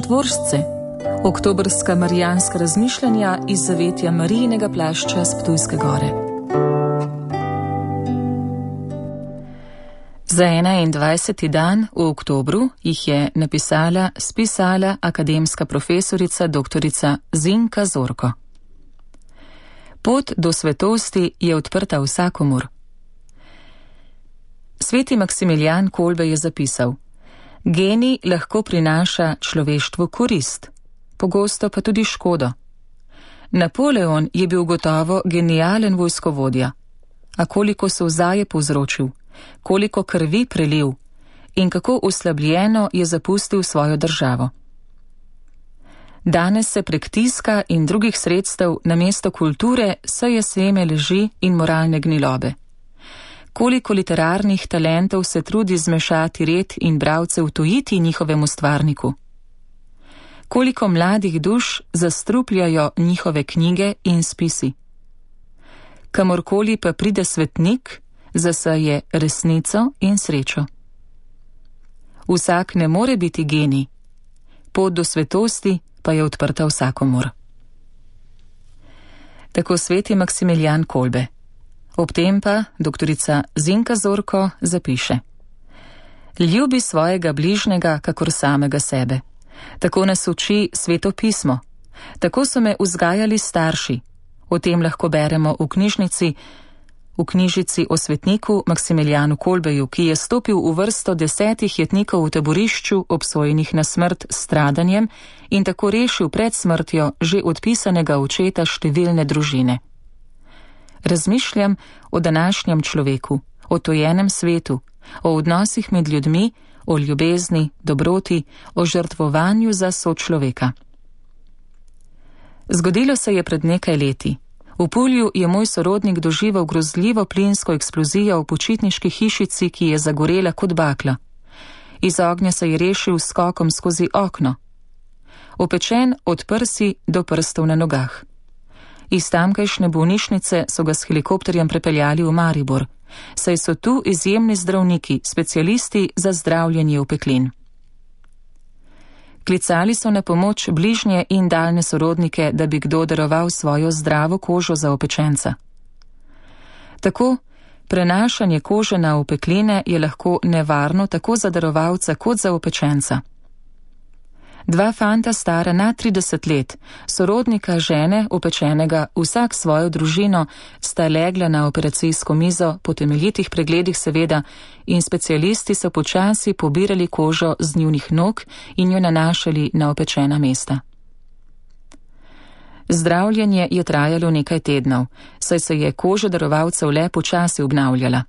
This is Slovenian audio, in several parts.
Častvoržce, oktobrska marijanska razmišljanja iz zavetja Marijinega plašča s Ptujske gore. Za 21. dan v oktobru jih je spisala akademska profesorica doktorica Zinka Zorko. Pot do svetosti je odprta vsakomur. Sveti Maksimilijan Kolbe je zapisal: genij lahko prinaša človeštvu korist, pogosto pa tudi škodo. Napoleon je bil gotovo genijalen vojskovodja, a koliko solza je povzročil, koliko krvi prelil in kako oslabljeno je zapustil svojo državo. Danes se prek tiska in drugih sredstev namesto kulture seje seme laži in moralne gnilobe. Koliko literarnih talentov se trudi zmešati red in bralce utujiti njihovemu stvarniku. Koliko mladih duš zastrupljajo njihove knjige in spisi. Kamorkoli pa pride svetnik, zaseje resnico in srečo. Vsak ne more biti genij, pot do svetosti pa je odprta vsakomur. Tako sveti Maksimilijan Kolbe. Ob tem pa doktorica Zinka Zorko zapiše: ljubi svojega bližnjega kakor samega sebe. Tako nas uči Sveto pismo. Tako so me vzgajali starši. O tem lahko beremo v knjižici o svetniku Maksimilijanu Kolbeju, ki je stopil v vrsto 10 jetnikov v taborišču, obsojenih na smrt s stradanjem, in tako rešil pred smrtjo že odpisanega očeta številne družine. Razmišljam o današnjem človeku, o tojenem svetu, o odnosih med ljudmi, o ljubezni, dobroti, o žrtvovanju za sočloveka. Zgodilo se je pred nekaj leti. V Pulju je moj sorodnik doživel grozljivo plinsko eksplozijo v počitniški hišici, ki je zagorela kot bakla. Iz ognja se je rešil s skokom skozi okno. Opečen od prsi do prstov na nogah. Iz tamkajšnje bolnišnice so ga s helikopterjem prepeljali v Maribor, saj so tu izjemni zdravniki, specialisti za zdravljenje opeklin. Klicali so na pomoč bližnje in daljne sorodnike, da bi kdo daroval svojo zdravo kožo za opečenca. Tako, prenašanje kože na opekline je lahko nevarno tako za darovalca kot za opečenca. 2 fanta stara nad 30 let, sorodnika žene opečenega, vsak svojo družino, sta legla na operacijsko mizo, po temeljitih pregledih seveda, in specialisti so počasi pobirali kožo z njunih nog in jo nanašali na opečena mesta. Zdravljenje je trajalo nekaj tednov, saj se je koža darovalcev le počasi obnavljala.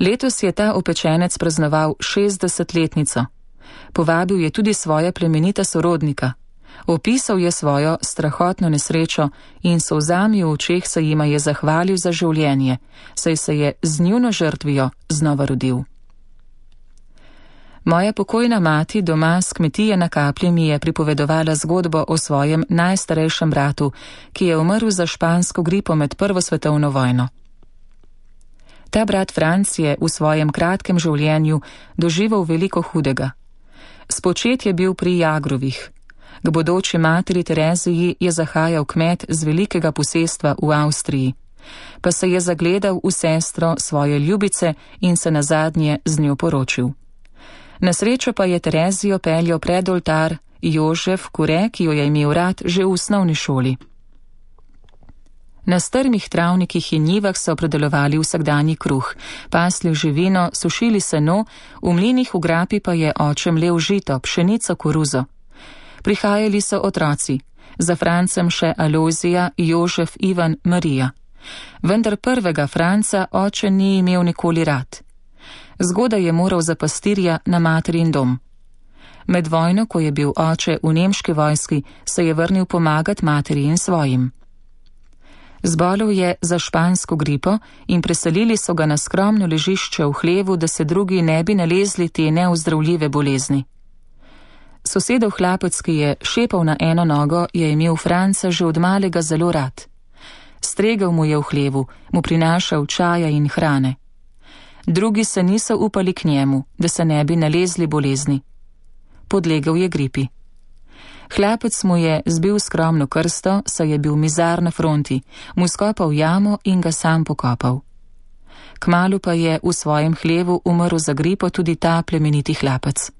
Letos je ta opečenec praznoval 60-letnico. Povabil je tudi svoja plemenita sorodnika. Opisal je svojo strahotno nesrečo in solzami v očeh se jima je zahvalil za življenje, saj se je z njuno žrtvijo znova rodil. Moja pokojna mati doma s kmetije na Kaplji mi je pripovedovala zgodbo o svojem najstarejšem bratu, ki je umrl za špansko gripo med Prvo svetovno vojno. Ta brat Franc je v svojem kratkem življenju doživel veliko hudega. Spočet je bil pri Jagrovih. K bodoči materi Tereziji je zahajal kmet z velikega posestva v Avstriji, pa se je zagledal v sestro svoje ljubice in se nazadnje z njo poročil. Na srečo pa je Terezijo peljal pred oltar Jožef Kure, ki jo je imel rad že v osnovni šoli. Na strmih travnikih in njivah so predelovali vsakdanji kruh, pasli živino, sušili seno, v mlinih v grapi pa je oče mlel žito, pšenico, koruzo. Prihajali so otroci, za Francem še Alojzija, Jožef, Ivan, Marija. Vendar prvega Franca oče ni imel nikoli rad. Zgodaj je moral za pastirja na materin dom. Med vojno, ko je bil oče v nemški vojski, se je vrnil pomagati materi in svojim. Zbolel je za špansko gripo in preselili so ga na skromno ležišče v hlevu, da se drugi ne bi nalezli te neozdravljive bolezni. Sosedov hlapec, ki je šepal na eno nogo, je imel Franca že od malega zelo rad. Stregel mu je v hlevu, mu prinašal čaja in hrane. Drugi se niso upali k njemu, da se ne bi nalezli bolezni. podlegel je gripi. Hlapec mu je zbil skromno krsto, saj je bil mizar na fronti, mu skopal jamo in ga sam pokopal. Kmalu pa je v svojem hlevu umrl za gripo tudi ta plemeniti hlapec.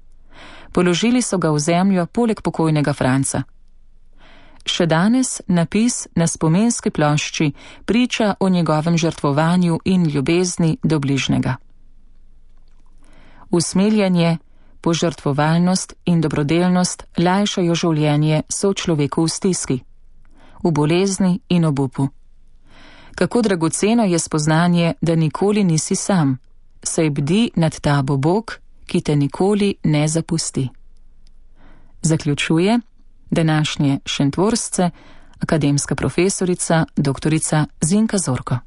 Položili so ga v zemljo poleg pokojnega Franca. Še danes napis na spomenski plošči priča o njegovem žrtvovanju in ljubezni do bližnjega. Usmiljenje, požrtvovalnost in dobrodelnost lajšajo življenje sočloveku v stiski, v bolezni in obupu. Kako dragoceno je spoznanje, da nikoli nisi sam, saj bdi nad tabo Bog, ki te nikoli ne zapusti. Zaključuje današnje Šentvorsce akademska profesorica dr. Zinka Zorko.